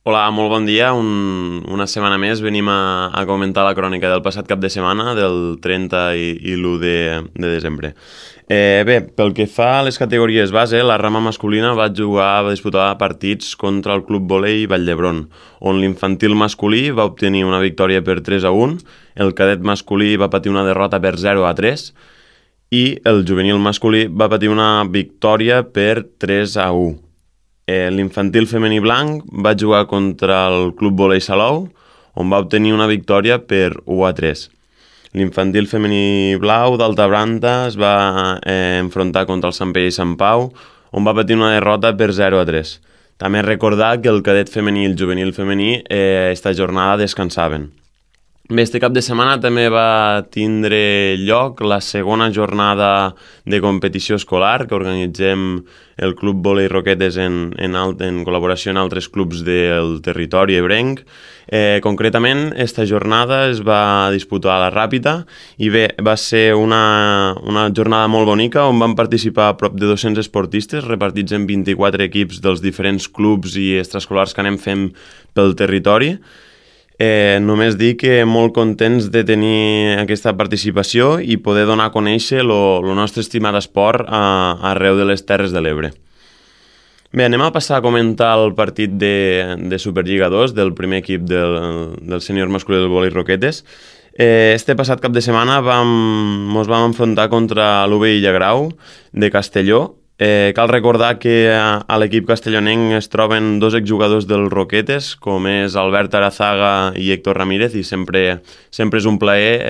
Hola, molt bon dia. Una setmana més venim a comentar la crònica del passat cap de setmana, del 30 i l'1 de desembre. Bé, pel que fa a les categories base, la rama masculina va disputar partits contra el Club Volei Vall d'Hebron, on l'infantil masculí va obtenir una victòria per 3-1, el cadet masculí va patir una derrota per 0-3 i el juvenil masculí va patir una victòria per 3-1. L'infantil femení blanc va jugar contra el Club Volei Salou, on va obtenir una victòria per 1-3. L'infantil femení blau d'Alta Branda es va enfrontar contra el Sant Pere i Sant Pau, on va patir una derrota per 0-3. També recordar que el cadet femení i el juvenil femení esta jornada descansaven. Bé, este cap de setmana també va tindre lloc la segona jornada de competició escolar que organitzem el Club Volei Roquetes en col·laboració amb altres clubs del territori ebrenc. Concretament, esta jornada es va disputar a la Ràpita i bé, va ser una jornada molt bonica on van participar prop de 200 esportistes repartits en 24 equips dels diferents clubs i extraescolars que anem fent pel territori. Només dir que molt contents de tenir aquesta participació i poder donar a conèixer el nostre estimat esport arreu de les Terres de l'Ebre. Bé, anem a passar a comentar el partit de Superliga 2 del primer equip del sènior masculí del Volei Roquetes. Este passat cap de setmana mos vam enfrontar contra l'UV Illagrau de Castelló. Cal recordar que a l'equip castellonenc es troben dos exjugadors del Roquetes, com és Albert Arazaga i Héctor Ramírez, i sempre és un plaer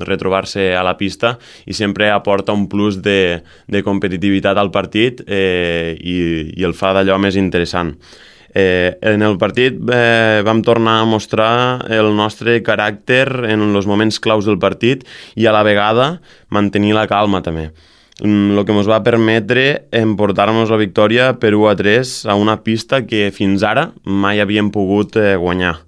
retrobar-se a la pista i sempre aporta un plus de competitivitat al partit i el fa d'allò més interessant. En el partit vam tornar a mostrar el nostre caràcter en els moments claus del partit i a la vegada mantenir la calma també. El que ens va permetre emportar-nos la victòria per 1-3 a una pista que fins ara mai havíem pogut guanyar.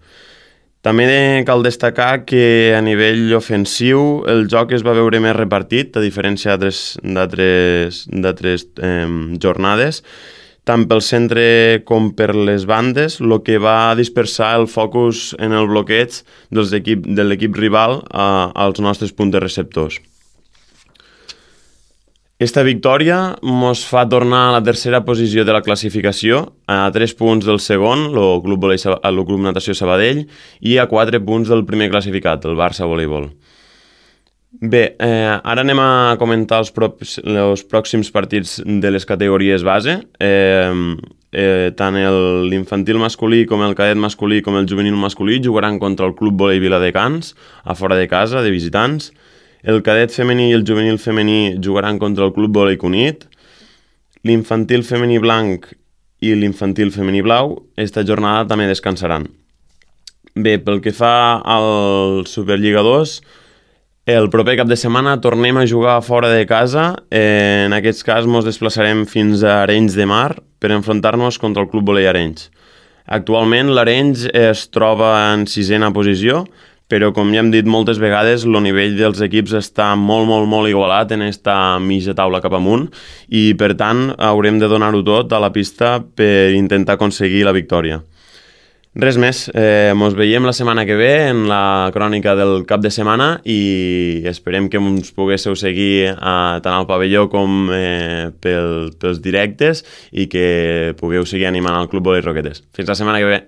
També cal destacar que a nivell ofensiu el joc es va veure més repartit, a diferència d'altres jornades, tant pel centre com per les bandes, el que va dispersar el focus en el bloqueig de l'equip rival als nostres punts receptors. Esta victòria ens fa tornar a la tercera posició de la classificació, a 3 punts del segon, el Club Natació Sabadell, i a 4 punts del primer classificat, el Barça Voleibol. Bé, ara anem a comentar els pròxims partits de les categories base. Tant l'infantil masculí com el cadet masculí com el juvenil masculí jugaran contra el Club Volei Viladecans, a fora de casa, de visitants. El cadet femení i el juvenil femení jugaran contra el Club Volei Cunit. L'infantil femení blanc i l'infantil femení blau esta jornada també descansaran. Bé, pel que fa al Superliga 2, el proper cap de setmana tornem a jugar fora de casa. En aquest cas ens desplaçarem fins a Arenys de Mar per enfrontar-nos contra el Club Volei Arenys. Actualment l'Arenys es troba en 6a posició, però com ja hem dit moltes vegades, el nivell dels equips està molt igualat en esta mitja taula cap amunt i per tant haurem de donar-ho tot a la pista per intentar aconseguir la victòria. Res més, ens veiem la setmana que ve en la crònica del cap de setmana i esperem que ens poguéssiu seguir tant al pavelló com pels directes i que pugueu seguir animant al Club Volei Roquetes. Fins la setmana que ve!